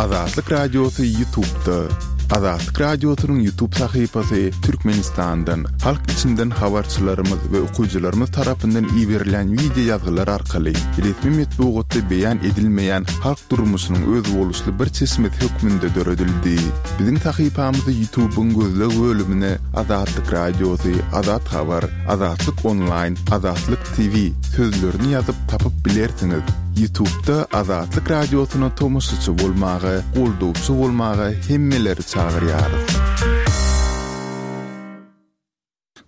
Azatlyk Radiosy Ýutubda. Azatlyk Radiosynyň Ýutub sahypasy Türkmenistandan, halk içinden habarçylarymyz we okyjylarymyz tarapyndan iberilen wideo ýazgylar arkaly resmi metbugatda beýan edilmeýän halk durmuşynyň özboluşly bir çeşmesi hökmünde döredildi. Biziň sahypamyzy Ýutubyň gözleg bölümine Azatlyk Radiosy, Azat Habar, Azatlyk Onlaýn, Azatlyk TV sözlerini ýazyp tapyp bilersiňiz. Ýutubda Azatlyk Radiosyna tomaşaçy bolmaga, goldawçy bolmaga hemmeleri çagyrýarys.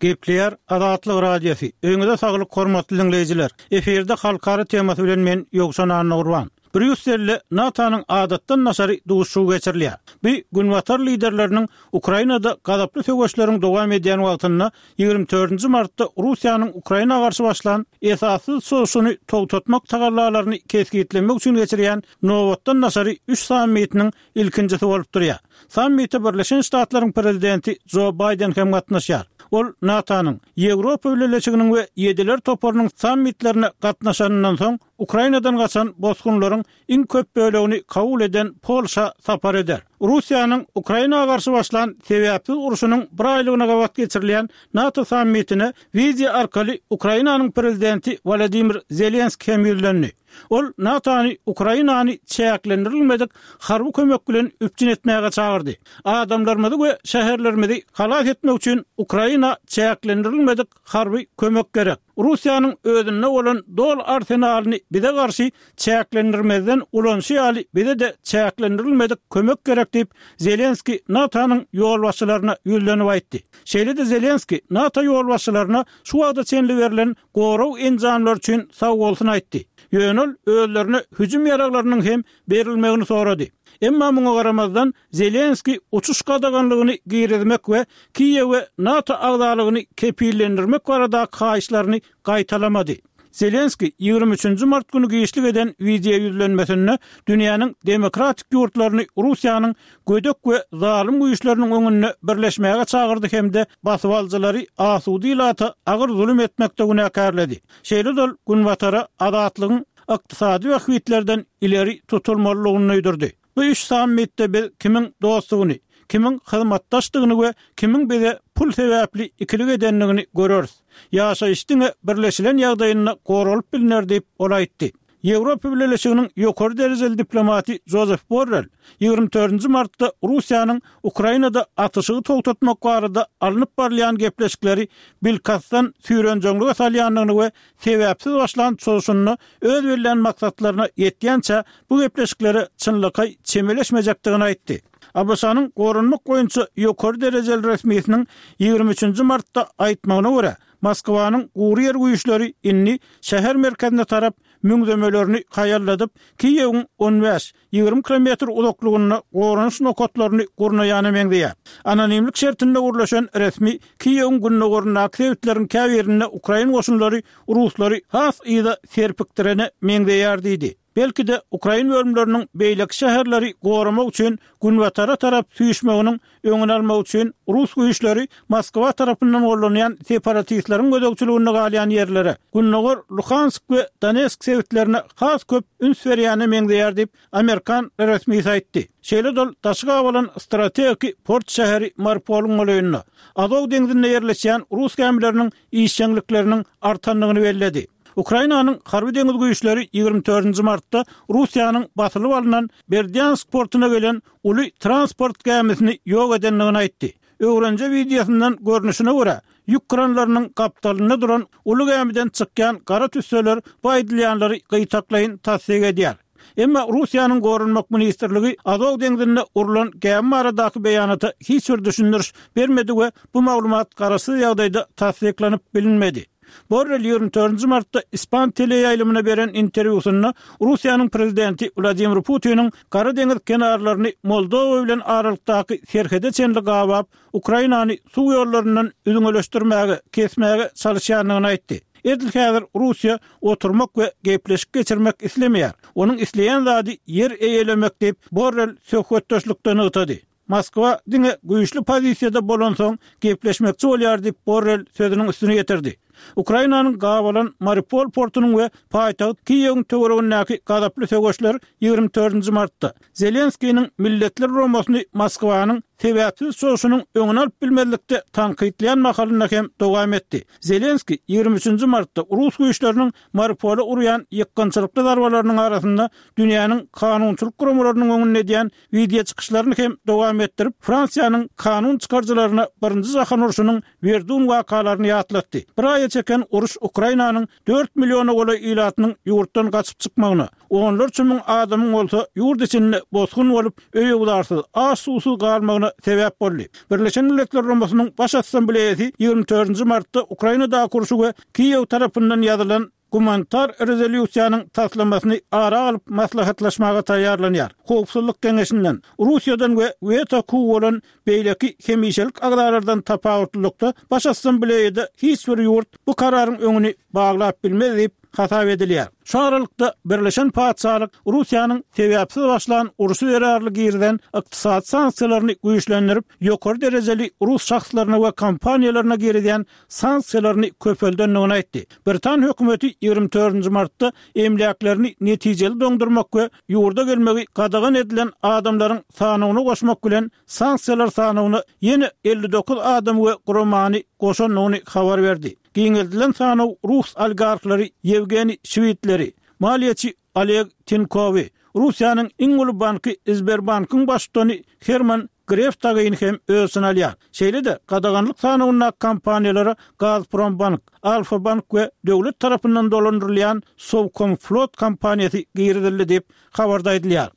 Gepleýär Azatlyk Radiosy. Öýüňize saglyk hormatly diňleýjiler. Efirde halkara temasy bilen men Ýowşan Annagurban. Brýusselde NATO-nyň adatdan daşary duşuşygy geçirilýär. Bu Günbatar liderleriniň Ukrainada gazaply söweşleriň dowam edýän wagtynda ýigrimi dördünji martda Russiýanyň Ukraina garşy başlan esassyz çozuşyny togtatmak tagallalaryny kesgitlemek üçin geçirýän nobatdan daşary üç sammitiniň ilkinjisi bolup durýar. Sammite Birleşen Ştatlaryň prezidenti Jo Baýden hem gatnaşýar. Ol NATO-nyň, Ýewropa Bileleşiginiň we Ýediler toparynyň sammitlerine gatnaşanyndan soň, Ukrainadan gaçan bosgunlaryň iň köp bölegini kabul eden Polşa sapar eder. Russiýanyň Ukraina garşy başlan sebäpsiz urşunyň bir aýlygyna gabat geçirilýän NATO sammitine wideo arkaly Ukrainanyň prezidenti Wolodymyr Zelenskiý hem ýüzlendi. Ol NATO-ny Ukrainany çäklendirilmedik harby kömek bilen üpjün etmäge çagyrdy. Adamlarymyzy we şäherlerimizi halas etmek üçin Ukraina çäklendirilmedik harby kömek gerek. Russiýanyň özünde bolan doly arsenalyny bize garşy çäklendirmezden ulanyşy ýaly bize-de çäklendirilmedik kömek gerek diýip, Zelenskiý NATO-nyň ýolbaşçylaryna ýüzlenip aýtdy. Şeýle-de Zelenskiý NATO ýolbaşçylaryna şu wagta çenli berlen gorag enjamlary üçin sagbolsun aýtdy. Ýöne ol özlerine hüjüm ýaraglarynyň hem berilmegini sorady. Emma muňa garamazdan, Zelenskiý uçuş gadaganlygyny girizmek we Kiýewe NATO agzalygyny kepillendirmek baradaky haýyşlaryny gaýtalamady. Zelenskiý ýigrimi üçünji mart güni giçlik eden wideoýüzlenmesinde dünýäniň demokratik ýurtlaryny Russiýanyň gödek we zalym güýçleriniň öňünde birleşmäge çagyrdy hem-de basybalyjylary asuda ilata agyr zulum etmekde günäkärledi. Şeýle-de ol Günbatara azatlygyň ykdysady bähbitlerden ileri tutulmalydygyny duýdurdy. Bu üç sammitde biz kimiň dostdugyny, kimiň hyzmatdaşdygyny we kimiň bize pul sebäpli ikilik edendigini göreris. Ýaşaýyş diňe birleşilen ýagdaýynda goralyp bilner diýip, ol aýtdy. Ýewropa Bileleşiginiň ýokary derejeli diplomaty Jozef Borrel ýigrimi dördünji martda Russiýanyň Ukrainada atyşygy togtatmak barada alnyp barylýan gepleşikleri bilkastdan süýrenjeňlige salýandygyny we sebäpsiz başlan çozuşynda öz bellän maksatlaryna ýetýänçä bu gepleşiklere çynlakaý çemeleşmejekdigini aýtdy. ABŞ-nyň goranmak boýunça ýokary derejeli resmisiniň ýigrimi üçünji martda aýtmagyna görä, Moskwanyň gury ýer güýçleri indi şäher merkezine tarap müňzemelerini haýalladyp, Kiýewiň on bäş, 20 kilometr uzaklygynda goranyş nokatlaryny gurnaýana meňzeýär. Anonimlik şertinde gürleşen resmi Kiýewiň gündogaryndaky sebitleriň käbirinde ukrain goşunlary ruslary has yza serpikdirene meňzeýär diýdi. Belki-de, ukrain bölümleriniň beýleki şäherleri goramak üçin günbatara tarap süýşmeginiň öňüni almak üçin rus güýçleri Moskwa tarapyndan gollanýan separatistleriň gözegçiliginde galýan ýerlere, gündogar Luhansk we Donetsk sebitlerine has köp üns berýäne meňzeýär diýip, amerikan resmisi aýtdy. Şeýle-de ol daşy gabalan strategiki port şäheri Mariupolyň golaýynda, Azow deňzinde ýerleşýän rus gämileriniň işjeňlikleriniň artandygyny belledi. Ukrainanyň Harby-deňiz güýçleri ýigrimi dördünji martda Russiýanyň basylyp alnan Berdýansk portuna gelen uly transport gämisini ýok edendigini aýtdy. Öwrenje wideosyndan görnüşine görä, ýük kranlarynyň gapdalynda duran uly gämiden çykýan gara tüsseler bu aýdylýanlary gytaklaýyn tassyk edýär. Emma Russiýanyň Goranmak ministrligi Azow deňzinde urlan gämi baradaky beýanata hiç bir düşündiriş bermedi we bu maglumat garaşsyz ýagdaýda tassyklanyp bilinmedi. Borrel ýigrimi dördünji martda ispan teleýaýlymyna beren interwýusynda Russiýanyň prezidenti Wladimir Putiniň Gara deňiz kenarlaryny Moldowa bilen aralykdaky serhede çenli gabap, Ukrainany suw ýollaryndan üzňeleşdirmäge, kesmäge çalyşýandygyny aýtdy. Edil häzir Russiýa oturmak we gepleşik geçirmek islemeýär. Onuň isleýän zady ýer eýelemek diýip, Borrel söhbetdeşlikde nygtady. Moskwa diňe güýçli pozisiýada bolansoň gepleşmekçi bolýar diýip, Borrel sözüniň üstüni ýetirdi. Ukrainanyň gabalan Mariupol portunyň we paýtagt Kiýewiň töweregindäki gazaply söweşler 24-nji martda, Zelenskiniň Milletler Guramasyny Moskwanyň sebäpsiz çoşunyň öňüni alyp bilmezlikde tankytlaýan mahalynda hem dowam etdi. Zelenskiý 23-nji martda rus güýçleriniň Mariupola urýan ýykgynçylykly zarbalarynyň arasynda dünýäniň kanunçylyk guramalarynyň öňünde edýän wideoçykyşlaryny hem dowam etdirip, Fransiýanyň kanun çykaryjylaryna Birinji jahan urşunyň Werdun wakalaryny ýatlatdy. Bir aýa çeken uruş Ukrainanyň dört milliona golaý ilatynyň ýurtdan gaçyp çykmagyna, onlarça müň adamyň bolsa ýurt içinde bosgun bolup, öý-öwzarsyz, aç-suwsuz galmagyna sebäp boldy. Birleşen Milletler Guramasynyň Baş Assambleýasy 24-nji martda Ukrainadaky urşy we Kiýew tarapyndan ýazylan gumanitar rezolýusiýanyň taslamasyny ara alyp maslahatlaşmaga taýýarlanýar. Howpsuzlyk Geňeşinden, Russiýadan we weto hukugy bolan beýleki hemişelik agzalardan tapawutlylykda, Baş Assambleýada hiç bir ýurt bu kararyň öňüni baglap bilmez diýip hasap edilýär. Şu aralykda, Birleşen Patyşalyk Russiýanyň sebäpsiz başlan urşy zerarly girizen ykdysady sanksiýalaryny güýçlendirip, ýokary derejeli rus şahslaryna we kompaniýalaryna girizýän sanksiýalaryny köpeldendigini aýtdy. Britan hökümeti 24-nji martda emläklerini netijeli doňdurmak we ýurda gelmegi gadagan edilen adamlaryň sanawyna goşmak bilen sanksiýalar sanawyna ýene 59 adamy we guramany goşandygyny habar berdi. Giňeldilen sanaw rus oligarhlary Ýewgeniý Şwidleri, maliýeçi Oleg Tinkowy, Russiýanyň iň uly banky Sberbankyň baştutany Herman Gref dagyny hem öz içine alýar. Şeýle-de, gadaganlyk sanawyndaky kompaniýalara Gazprombank, Alfa-bank we döwlet tarapyndan dolandyrylýan Sowkomflot kompaniýasy girizildi diýip, habarda aýdylýar.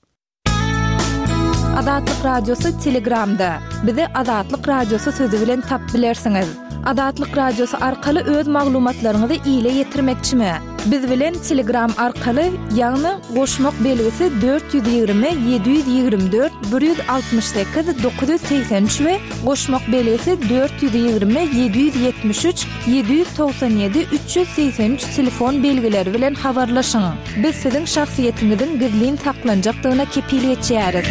Azatlyk Radiosy Telegramda. Bizi Azatlyk Radiosy sözi bilen tapyp bilersiňiz. Azatlyk Radiosy arkaly öz maglumatlaryňyzy ile ýetirmekçimi? Biz bilen Telegram arkaly, ýagny goşmak belgisi 420 724 168 983 we goşmak belgisi 420 773 797 383 telefon belgileri bilen habarlaşyň. Biz siziň şahsyýetiňiziň gizlin saklanjakdygyna kepil geçýäris.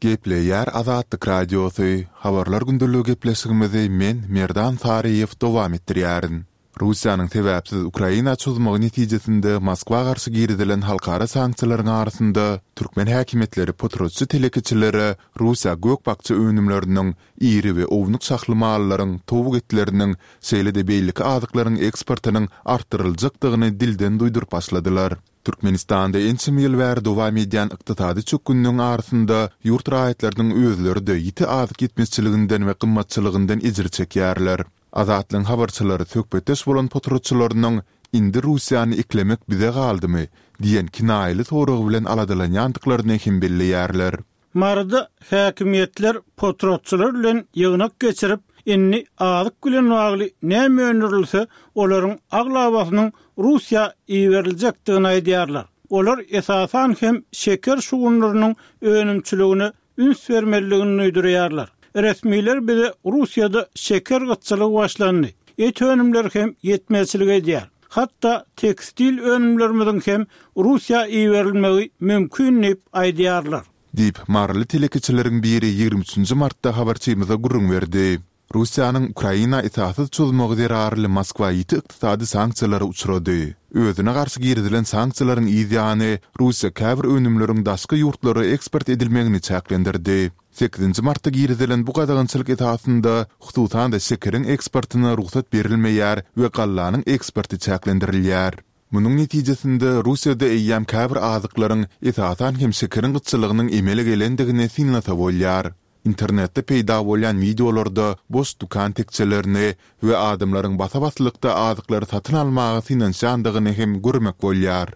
Gepleýär Azatlyk Radiosy, Habarlar gündeligi gepleşigimizi men, Merdan Saryýew dowam etdirýärin. Russiýanyň sebäpsiz Ukraina çozmagy netijesinde Moskwa garşy girizilen halkara sanksiýalaryň arasynda türkmen häkimiýetleri potratçy telekeçilere Russiýa gök-bakja önümleriniň, iri we ownuk şahly mallaryň, towuk etleriniň, şeýle-de beýleki azyklaryň eksportynyň artdyryljakdygyny dilden duýduryp başladylar. Türkmenistanda ençeme ýyl bäri dowam edýän ykdysady çökgünligiň arasynda ýurt raýatlarynyň özleri-de ýiti azyk ýetmezçiliginden we gymmatçylygyndan ejir çekýärler. Azatlygyň habarçylary söhbetdeş bolan potratçylarynyň Indi Russiýany eklemek bize galdymy? diýen kinaýaly sorag bilen aladalanýandyklaryny hem belleýärler. Maryda häkimiýetler potratçylar bilen ýygnak geçirip, indi azyk bilen bagly näme öndürilse, olaryň aglabasynyň Russiýa iberiljekdigini aýdýarlar. Olar esasan hem şeker şugundyrynyň önümçiligine üns bermelidigini duýdurýarlar. Resmiler bize Russiýada şeker gytçylygy başlandy, et önümleri hem ýetmezçilik edýär. Hatda tekstil önümlerimiziň hem Russiýa iberilmegi mümkin diýip aýdýarlar. Diýip, maryly telekeçileriň biri 23 nji martda habarçymyza gürrüň berdi. Russiýanyň Ukraina esassyz çozmagy zerarly Moskwa ýiti ykdysady sanksiýalara uçrady. Özüne garşy girizilen sanksiýalaryň yz ýany, Russiýa käbir önümleriň daşky ýurtlara eksport edilmegini çäklendirdi. Sekizinji martda girizilen bu gadagançylyk esasynda, hususan-da şekeriň eksportyna rugsat berilmeýär we gallanyň eksporty çäklendirilýär. Munuň netijesinde, Russiýada eýýäm käbir azyklaryň, esasan hem şekeriň gytçylygynyň emele gelendigini synlasa bolýar. Internetde peýda bolýan wideolarda boş dükan tekjelerini we adamlaryň basa-baslykda azyklary satyn almaga synanyşýandygyny hem görmek bolýar.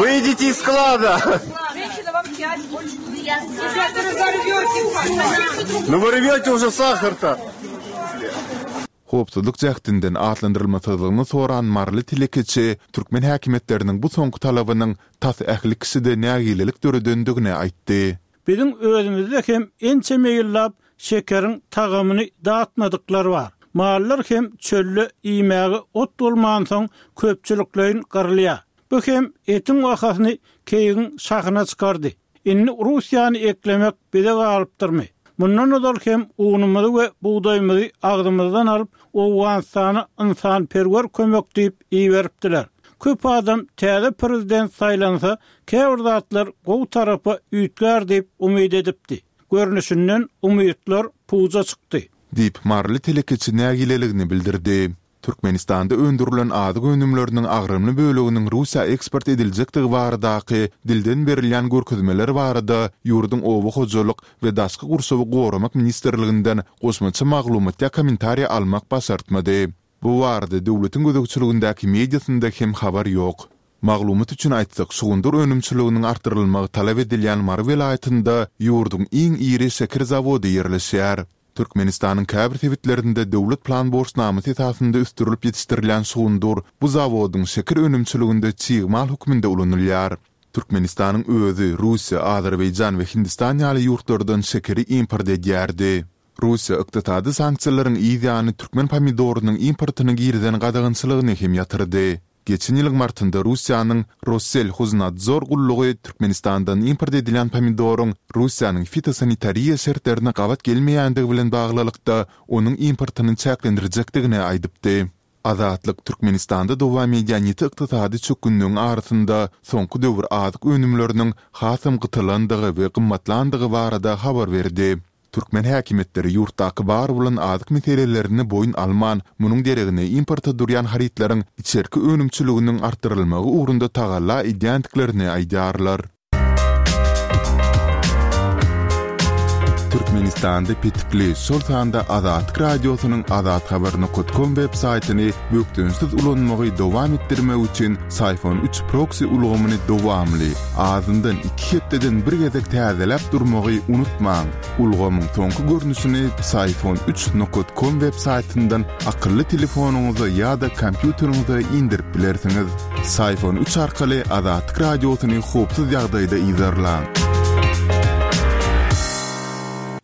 Wyjdite iz sklada! Nu вы rwete уже sahar-to! Howpsuzlyk jähtinden atlandyrylmasyzlygyny soran maryly telekeçi türkmen häkimiýetleriniň bu soňky talabynyň tas ähli kişide nägilelik döredendigini aýtdy. Biziň özümizde hem ençeme ýyllap şekeriň tagamyny datmadyklar bar. Mallar hem çölde iýmäge ot bolmansoň köpçülikleýin gyrylýar. Bu hem etiň bahasyny keýigiň şahyna çykardy. Indi Russiýany eklemek bize galypdyrmy? Mundan ozal hem unumyzy we bugdaýymyzy agzymyzdan alyp, Owganystana ynsanperwer kömek diýip iberipdiler. Köp adam täze prezident saýlansa, käbir zatlar gowy tarapa üýtgär diýip umyt edipdi. Görnüşinden, umytlar puja çykdy. Diýip, maryly telekeçi nägileligini bildirdi. Türkmenistanda öndürilen azyk önümleriniň agramly böleginiň Russiýa eksport ediljekdigi baradaky dilden berilýän görkezmeler barada ýurduň Oba hojalyk we daşky gurşawy goramak ministrliginden goşmaça maglumat ýa kommentariý almak başartmady. Bu barada döwletiň gözegçiligindäki mediasynda hem habar ýok. Maglumat üçin aýtsak, şugundyr önümçiliginiň artdyrylmagy talap edilýän Mary welaýatynda ýurduň iň iri şeker zawody ýerleşýär. Türkmenistanyň käbir sebitlerinde döwlet plan borçnamasy esasynda ösdürilip ýetişdirilýän şugundyr bu zawodyň şeker önümçiliginde çig mal hökmünde ulanylýar. Türkmenistanyň özi Russiýa, Azerbaýjan we Hindistan ýaly ýurtlardan şekeri import edýärdi. Russiýa ykdysady sanksiýalaryň yz ýany türkmen pomidorynyň importyna girizen gadagançylygyny hem ýatyrdy. Geçen ýylyň martynda Russiýanyň Rosselhoznadzor gullugy Türkmenistandan import edilýän pomidoryň Russiýanyň fitosanitariýa şertlerine gabat gelmeýändigi bilen baglylykda onuň importyny çäklendirjekdigini aýdypdy. Azatlyk Türkmenistanda dowam edýän ýiti ykdysady çökgünligiň arasynda soňky döwür azyk önümleriniň hasam gytalandygy we gymmatlandygy barada habar berdi. Türkmen häkimiýetleri ýurtdaky bar bolan azyk meselelerini boýun alman, munuň deregine importa durýan harytlaryň içerki önümçiliginiň artdyrylmagy ugrunda tagalla edýändiklerini aýdýarlar. Türkmenistanda petikli, şol sanda Azatlyk Radiosynyň azathabar nokat kom web saýtyny bökdençsiz ulanmagy dowam etdirmek üçin Syfon üç proksi ulgamyny dowamly, azyndan iki hepdeden bir gezek täzeläp durmagy unutmaň. Ulgamyň soňky görnüşini Psiphon üç nokat kom web saýtyndan akylly telefonyňyza ýa-da kompýuteriňize indirip bilersiňiz. Psiphon üç arkaly Azatlyk Radiosyny howpsuz ýagdaýda yzarlaň.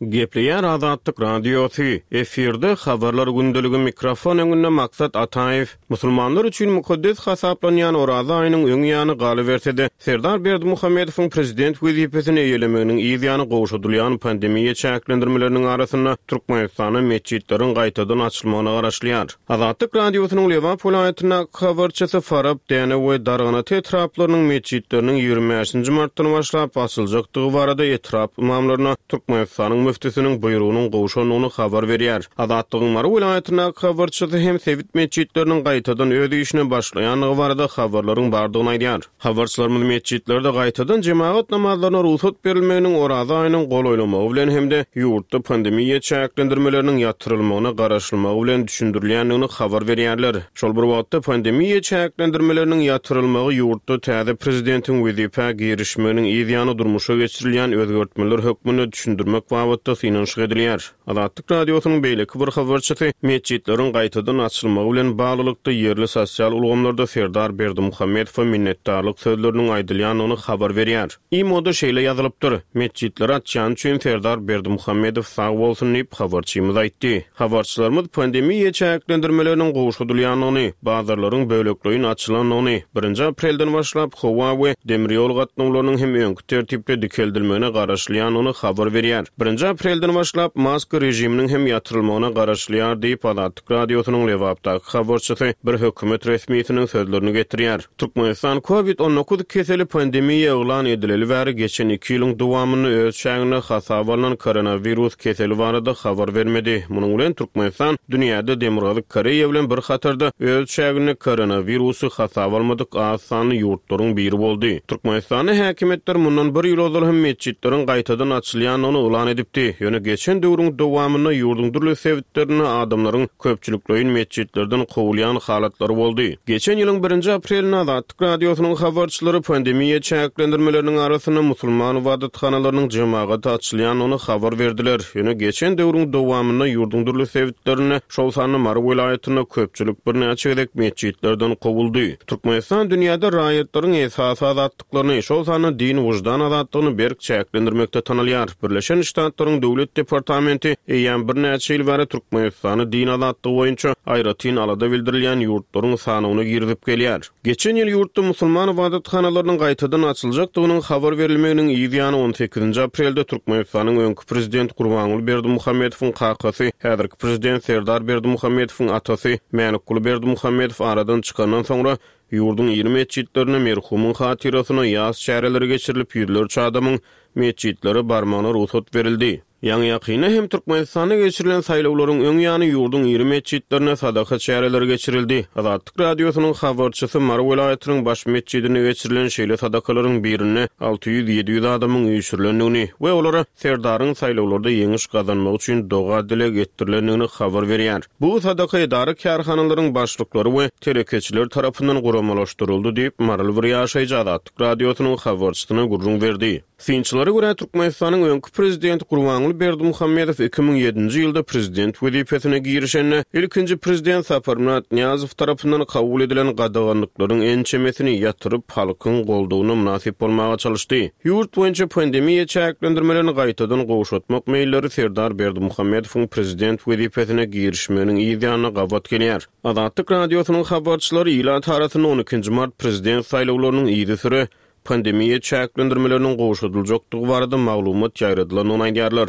Gepleýär Azatlyk Radiosy, efirde Habarlar gündeligi mikrofon öňünde Maksat Ataýew. Musulmanlar üçin mukaddes hasaplanýan Oraza aýynyň öň ýany galyberse-de, Serdar Berdimuhamedowyň prezident wezipesini eýelemeginiň yz ýany gowşadylýan pandemiýa çäklendirmeleriniň arasynda Türkmenistanda metjitleriň gaýtadan açylmagyna garaşylýar. Azatlyk Radiosynyň Lebap welaýatyndaky habarçysy Farap, Dänew we Darganata etraplarynyň metjitleriniň 25 nji martdan başlap açyljakdygy barada etrap ymamlaryna Türkmenistanyň müftüsiniň buýrugynyň gowşandygyny habar berýär. Azatlygyň Mary welaýatyndaky habarçysy hem sebit metjitleriniň gaýtadan öz işine başlaýandygy barada habarlaryň bardygyny aýdýar. Habarçylarymyz metjitlerde gaýtadan jemagat namazlaryna rugsat berilmeginiň Oraza aýynyň golaýlamagy bilen hem-de ýurtda pandemiýa çäklendirmeleriniň ýatyrylmagyna garaşylmagy bilen düşündirilýändigini habar berýärler. Şol bir wagtda, pandemiýa çäklendirmeleriniň ýatyrylmagy ýurtda täze prezidentiň wezipä girişmeginiň yz ýany durmuşa geçirilýän özgertmeler hökmünde düşündirmek babatda synanyşyk edilýär. Azatlyk Radiosynyň beýleki bir habarçysy metjitleriň gaýtadan açylmagy bilen baglylykda ýerli sosial ulgamlarda Serdar Berdimuhamedowa minnetdarlyk sözleriniň aýdylýandygyny habar berýär. Imo-da şeýle ýazylypdyr, Metjitleri açýany üçin Serdar Berdimuhamedow sag bolsun diýip, habarçymyz aýtdy. Habarçylarymyz pandemiýa çäklendirmeleriniň gowşadylýandygyny, bazarlaryň bölekleýin açylandygyny, birinji aprelden başlap howa we demir ýol gatnawlarynyň hem öňki tertipde dikeldilmegine garaşylýandygyny habar berýär. Birinji aprelden başlap maska režiminiň hem ýatyrylmagyna garaşylýar diýip, Azatlyk Radiosynyň Lebapdaky habarçysy bir hökümet resmisiniň sözlerini getirýär. Türkmenistan Covid 19 keseli pandemiýa yglan edileli bäri geçen iki ýylyň dowamynda öz çäginde hasaba alnan koronawirus keseli barada habar bermedi. Munuň bilen Türkmenistan dünýäde Demirgazyk Koreýa bilen bir hatarda öz çäginde koronawirusy hasaba almadyk az sanly ýurtlaryň biri boldy. Türkmenistanda häkimiýetler mundan bir ýyl ozal hem metjitleriň gaýtadan açylýandygyny yglan edipdi. Ýöne geçen döwrüň dowamynda ýurduň dürli sebitlerinde adamlaryň köpçülikleýin metjitlerden kowulýan halatlary boldy. Geçen ýylyň birinji aprelinde Azatlyk Radiosynyň habarçylary pandemiýa çäklendirmeleriniň arasynda musulman ybadathanalarynyň jemagata açylýandygyny habar berdiler. Ýöne geçen döwrüň dowamynda ýurduň dürli sebitlerinde, şol sanda Mary welaýatynda köpçülik birnäçe gezek metjitlerden kowuldy. Türkmenistan dünýäde raýatlaryň esasy azatlyklaryny, şol sanda din-wyždan azatlygyny berk çäklendirmekde tanalýar. Birleşen Ştatlaryň. Ştatlaryň Döwlet departamenti eýýäm birnäçe ýyl bäri Türkmenistany din azatlygy boýunça aýratyn alada bildirilýän ýurtlaryň sanawyna girizip gelýär. Geçen ýyl ýurtda musulman ybadathanalarynyň gaýtadan açyljakdygynyň habar berilmeginiň yz ýany on sekizinji aprelde Türkmenistanyň öňki prezidenti Gurbanguly Berdimuhamedowyň kakasy, häzirki prezident Serdar Berdimuhamedowyň atasy Mälikguly Berdimuhamedow aradan çykandan soňra Ýurduň iri metjitlerinde merhumyň hatyrasyna ýas çäreleri geçirilip, ýüzlerçe adamyň metjitlere barmagyna rugsat berildi. Ýaňy-ýakynda hem Türkmenistanda geçirilen saýlawlaryň öň ýany ýurduň iri metjitlerinde sadaka çäreleri geçirildi. Azatlyk Radiosynyň habarçysy Mary welaýatynyň baş metjidinde geçirilen şeýle sadakalaryň birinde 600-700 adamyň üýşürilendigini we olara Serdaryň saýlawlarda ýeňiş gazanmagy üçin doga-dileg etdirilendigini habar berýär. Bu sadaka edara-kärhanalaryň başlyklary we telekeçiler tarapyndan guramalaşdyryldy diýip, maryly bir ýaşaýjy Azatlyk Radiosynyň habarçysyna gürrüň berdi. Synçylara görä, Türkmenistanyň öňki prezidenti Gurbanguly Berdimuhamedow 2007-nji ýylda prezident wezipesine girişende, ilkinji prezident Saparmyrat Nyýazow tarapyndan kabul edilen gadaganlyklaryň ençemesini ýatyryp, halkyň goldawyna mynasyp bolmaga çalyşdy. Ýurt boýunça pandemiýa çäklendirmelerini gaýtadan gowşatmak meýilleri Serdar Berdimuhamedowyň prezident wezipesine girişmeginiň yz ýanyna gabat gelýär. Azatlyk Radiosynyň habarçylary ilat arasynda on ikinji mart prezident saýlawlarynyň yzysüre pandemiýa çäklendirmeleriniň gowşadyljakdygy barada maglumat ýaýradylandygyny aýdýarlar.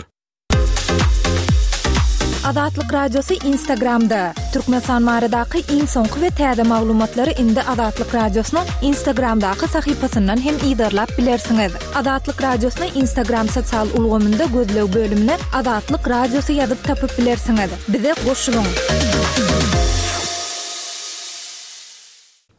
Azatlyk Radiosy Instagramda, Türkmenistan baradaky iň soňky we täze maglumatlary indi Azatlyk Radiosynyň Instagramdaky sahypasyndan hem yzarlap bilersiňiz. Azatlyk Radiosyny Instagram sosial ulgamynda gözleg bölümine Azatlyk Radiosy ýazyp tapyp bilersiňiz. Bize goşulyň!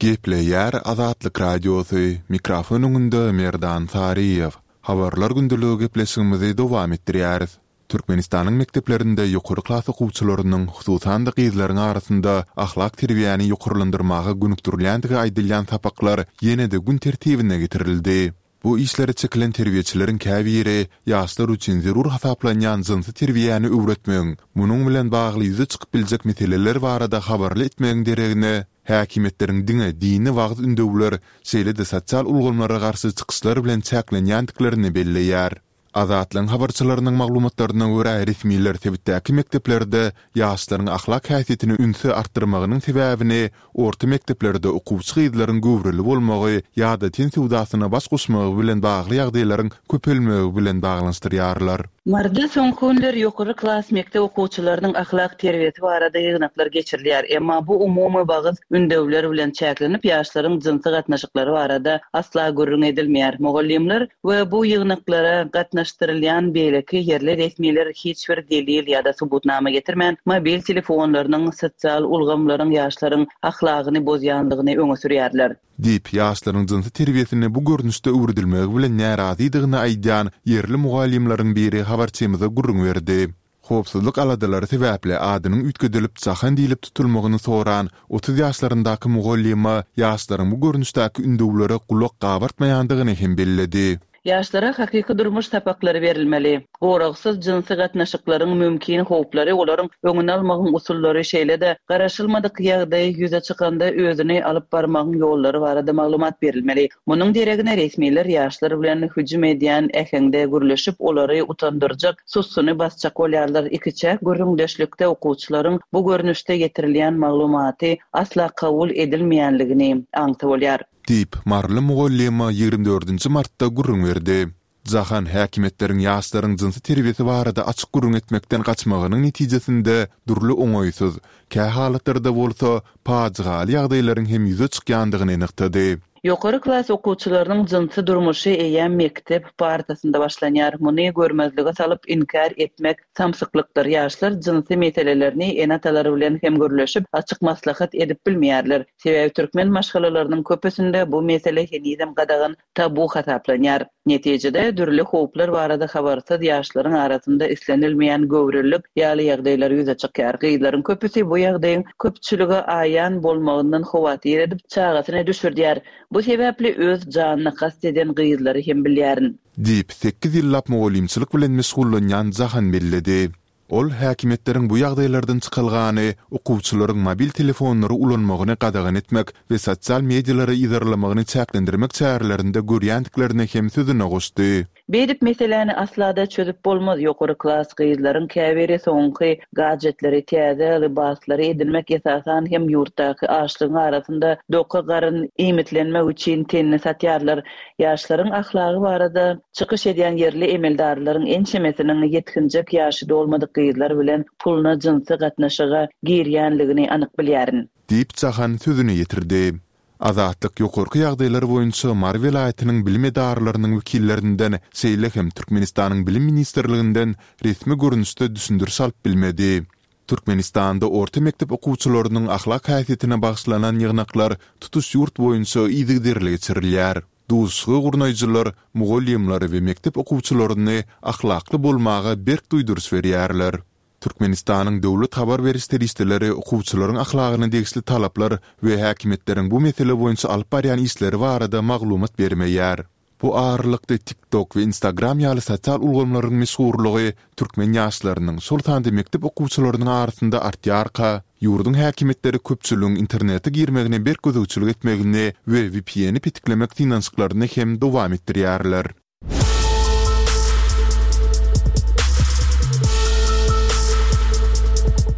Gepleýär Azatlyk Radiosy, mikrofon öňünde Merdan Saryýew. Habarlar gündeligi gepleşigimizi dowam etdirýäris. Türkmenistanyň mekdeplerinde ýokary klas okuwçylarynyň, hususan-da gyzlaryň arasynda ahlak terbiýäni ýokarlandyrmaga gönükdirilýändigi aýdylýan sapaklar ýene-de gün tertibine getirildi. Bu işlere çekilen terbiýeçileriň käbiri ýaşlar üçin zerur hasaplanýan jynsy terbiýäni öwretmegiň, munuň bilen bagly ýüze çykyp biljek meseleler barada habarly etmegiň deregine, Häkimiýetleriň diňe dini wagyz-ündewler, şeýle-de sosial ulgamlara garşy çykyşlar bilen çäklenýändiklerini belleýär. Azatlygyň habarçylarynyň maglumatlaryna görä, resmiler sebitdäki mekdeplerde ýaşlaryň ahlak häsiýetine ünsi artdyrmagynyň sebäbini orta mekdeplerde okuwçy gyzlaryň göwreli bolmagy ýa-da ten söwdasyna baş goşmagy bilen bagly ýagdaýlaryň köpelmegi bilen baglanyşdyrýarlar. Maryda soňky günler ýokary klas mekdep okuwçylarynyň ahlak terbiýesi barada ýygnaklar geçirilýär. Emma bu umumy wagyz ündewler bilen çäklenip, ýaşlaryň jynsy gatnaşyklary barada asla gürrüň edilmeýär. Mugallymlar we bu ýygnaklara gatnaşdyrylýan beýleki ýerli resmiler hiç bir delil ýa-da subutnama getirmän, mobil telefonlarynyň, sosial ulgamlaryň ýaşlaryň ahlagyny bozýandygyny öňe sürýärler. Diýip, ýaşlaryň jynsy terbiýesini bu görnüşde öwredilmegi bilen närazydygyny aýdýan ýerli mugallymlaryň biri habarçymyza gürrüň berdi. Howpsuzlyk aladalary sebäpli adynyň üýtgedilip Jahan diýlip tutulmagyny soran 30 ýaşlaryndaky mugallyma ýaşlaryň bu görnüşdäki ündewlere gulak gabartmaýandygyny hem belledi. Ýaşlara hakyky durmuş sapaklary berilmeli. Goragsyz jynsy gatnaşyklaryň mümkin howplary, olaryň öňüni almagyň usullary, şeýle-de garaşylmadyk ýagdaý ýüze çykanda özüni alyp barmagyň ýollary barada maglumat berilmeli. Munuň deregine resmiler ýaşlar bilen hüjüm edýän äheňde gürleşip, olary utandyrjak, sussuny basjak bolýarlar. Ikiçäk gürrüňdeşlikde okuwçylaryň bu görnüşde ýetirilýän maglumaty asla kabul edilmeýänligini aňsa bolýar. Diýip, maryly mugallyma 24 dördünji martda gürrüň berdi. Jahan häkimiýetleriň ýaşlaryň jynsy terbiýesi barada açyk gürrüň etmekden gaçmagynyň netijesinde dürli oňaýsyz, kähalatlarda bolsa pajygaly ýagdaýlaryň hem ýüze çykýandygyny nygtady. Ýokary klas okuwçylarynyň jynsy durmuşy eýýäm mekdep partasynda başlanýar. Muny görmezlige salyp, inkär etmek samsyklykdyr. Ýaşlar jynsy meselelerini ene-atalary bilen hem gürleşip, açyk maslahat edip bilmeýärler. Sebäbi türkmen maşgalalarynyň köpüsinde bu mesele henizem gadagan, tabu hasaplanýar. Netijede, dürli howplar barada habarsyz ýaşlaryň arasynda islenilmeýän göwrelilik ýaly ýagdaýlar ýüze çykýar. Gyzlaryň köpüsi bu ýagdaýyň köpçülige aýan bolmagyndan howatyr edip, çagasyny düşürdýär. Bu sebäpli öz janyna kast eden gyzlary hem bilýärin. Diýip, sekiz ýyllap mugallymçylyk bilen meşgullanýan Jahan belledi. Ol häkimiýetleriň bu ýagdaýlardan çykalgany okuwçylaryň mobil telefonlary ulanmagyny gadagan etmek we sosial medialary yzarlamagyny çäklendirmek çärelerinde görýändiklerini hem sözüne goşdy. Beýdip meseläni asla-da çözüp bolmaz, ýokary klas gyzlaryň käbiri soňky gadjetleri, täze lybaslary edinmek esasan hem ýurtdaky açlygyň arasynda doka garyn iýmitlenmek üçin tenini satýarlar. Ýaşlaryň ahlagy barada çykyş edýän ýerli emeldarlaryň ençemesiniň ýetginjek ýaşy dolmadyk gyzlar bilen puluna jynsy gatnaşyga girýänligini anyk bilýärin. Diýip, Jahan sözüni ýetirdi. Azatlyk ýokarky ýagdaýlar boýunça Mary welaýatynyň bilim edaralarynyň wekillerinden, şeýle hem Türkmenistanyň Bilim ministrliginden resmi görnüşde düşündiriş alyp bilmedi. Türkmenistanda orta mekdep okuwçylarynyň ahlak häsiýetine bagyşlanan ýygnaklar tutuş ýurt boýunça yzygiderli geçirilýär. Duşuşygy gurnaýjylar mugallymlary we mekdep okuwçylaryny ahlakly bolmaga berk duýduryş berýärler. Türkmenistanyň döwlet habar beriş serişdeleri okuwçylaryň ahlagyna degişli talaplar we häkimiýetleriň bu mesele boýunça alyp barýan işleri barada maglumat bermeýär. Bu aralykda TikTok we Instagram ýaly sosial ulgamlaryň meşhurlygy türkmen ýaşlarynyň, şol sanda mekdep okuwçylarynyň arasynda artýarka, ýurduň häkimiýetleri köpçüligiň internete girmegine berk gözegçilik etmegini we VPN-i petiklemek synanyşyklaryny hem dowam etdirýärler.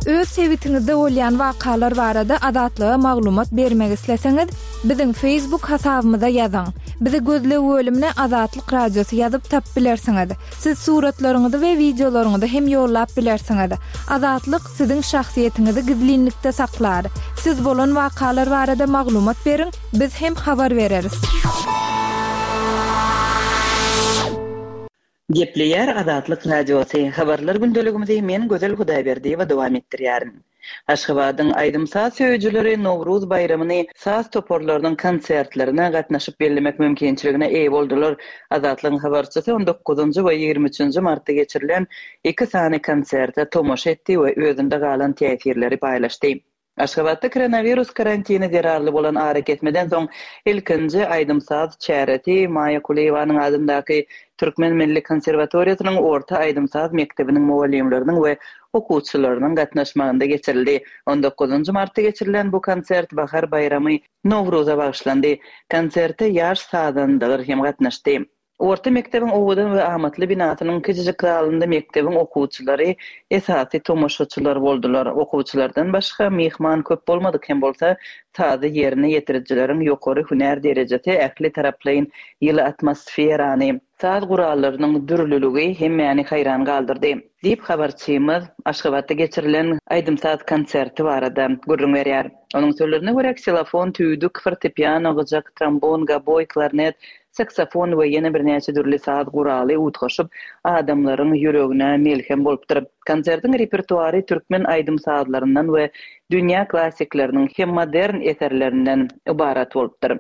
Öz sebitiňizde bolýan wakalar barada Azatlyga maglumat bermek isleseňiz, biziň Facebook hasabymyza ýazyň. Bizi gözleg bölümine Azatlyk Radiosy ýazyp tapyp bilersiňiz. Siz suratlaryňyzy we wideolaryňyzy hem ýollap bilersiňiz. Azatlyk siziň şahsyýetiňizi gizlinlikde saklar. Siz bolan wakalar barada maglumat beriň, Biz hem habar bereris. Gepleýär Azatlyk Radiosy, Habarlar gündeligimizi men Gözel Hudaýberdiýewa dowam etdirýärin. Aşgabadyň aýdym-saz söýüjileri Nowruz baýramyny saz toparlarynyň konsertlerine gatnaşyp bellemek mümkinçiligine eýe boldular. Azatlygyň habarçysy on dokuzynjy we 23 üçünji martda geçirilen iki sany konserte tomaşa etdi we özünde galan täsirleri paýlaşdy. Aşgabatda koronawirus karantini zerarly bolan arakesmeden soň ilkinji aýdym-saz çäresi Maýa Kulyýewanyň adyndaky Türkmen milli konserwatoriýasynyň orta aýdym-saz mekdebiniň mugallymlarynyň we okuwçylarynyň gatnaşmagynda geçirildi. On dokuzynjy martda geçirilen bu konsert Bahar baýramy Nowruza bagyşlandy. Konserte ýaş sazandalar hem gatnaşdy. Orta mekdebiň owadan we amatly binasynyň kiçijik zalynda mekdebiň okuwçylary esasy tomaşaçylar boldular. Okuwçylardan başga myhman köp bolmadyk hem bolsa, sazy ýerine ýetirijileriň ýokary hünär derejesi ähli taraplaýyn ýyly atmosferany, saz gurallarynyň dürlüligi hemmäni haýran galdyrdy, diýip, habarçymyz Aşgabatda geçirilen aýdym-saz konserti barada gürrüň berýär. Onuň sözlerine görä, ksilofon, tüýdük, fortepiano, gyjak, trombon, goboý, klarnet, Saksofon we ýene birnäçe dürli saz guraly utgaşyp, adamlaryň ýüregine melhem bolupdyr. Konsertiň repertuary türkmen aýdym-sazlaryndan we dünýä klassikleriniň hem modern eserlerinden ybarat bolupdyr.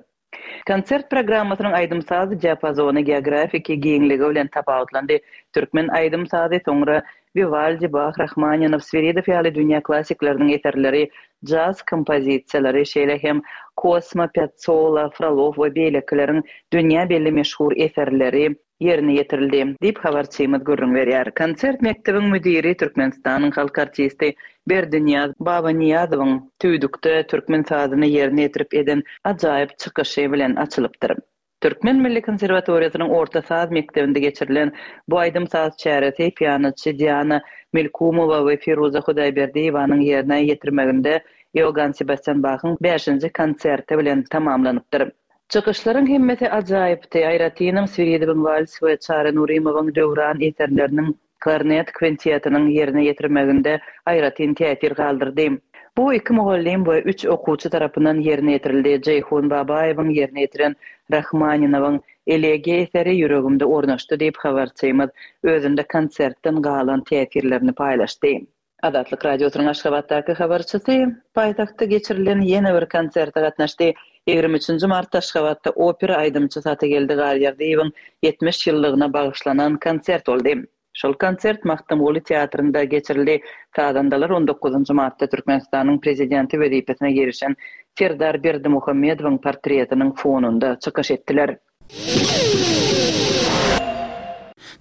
Konsert programmasynyň aýdym-saz diapazony geografiki giňligi bilen tapawutlandy. Türkmen aýdym-sazy soňra Wiwaldi, Bah, Rahmaninow, Swiridow ýaly dünýä klassikleriniň eserleri, jaz kompozisiýalary, şeýle hem Kosma, Piazzolla, Frolow we beýlekileriň dünýä belli meşhur eserleri ýerine ýetirildi, diýip, habarçymyz gürrüň berýär. Konsert mekdebiň müdiri, Türkmenistanyň halk artisti Berdinyýaz Babanyýazowyň tüýdükde türkmen sazyny ýerine ýetirip eden ajaýyp çykyşy bilen açylypdyr. Türkmen milli konserwatoriýasynyň orta saz mekdebinde geçirilen bu aýdym-saz çäresi pianoçy Diana Melkumowa we Firuza Hudaýberdiýewanyň ýerine ýetirmeginde Iogann Sebastýan Bahyň bäşinji konserti bilen tamamlanypdyr. Çykyşlaryň hemmesi ajaýypdy, aýratynam Swiridowyň wals we Çary Nurymowyň Döwran eserleriniň Klarnet kwintetiniň ýerine ýetirmeginde aýratyn täsir galdyrdy. Bu iki mugallym we üç okuwçy tarapyndan ýerine ýetirildi. Jeýhun Babaýewiň ýerine ýetiren Rahmaninowyň Elegiýa eseri ýüregimde ornaşdy diýip, habarçymyz özünde konsertden galan täsirlerini paýlaşdy. Azatlyk Radiosynyň Aşgabatdaky habarçysy paýtagtda geçirilen ýene bir konserte gatnaşdy. 23 martda Aşgabatda opera aýdymçysy Atageldi Garýagdyýewiň 70 ýyllygyna bagyşlanan konsert boldy. Şol konsert Magtymguly teatrynda geçirildi. Sazandalar on dokuzynjy martda Türkmenistanyň Prezidenti wezipesine girişen Serdar Berdimuhamedowyň portretiniň fonunda çykyş etdiler.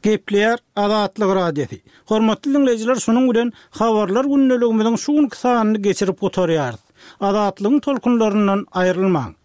Gepleýär Azatlyk Radiosy. Hormatly diňleýjiler şunuň bilen Habarlar gündeligimiziň şu günki sanyny geçirip gutarýarys. Azatlygyň tolkunlaryndan aýrylmaň.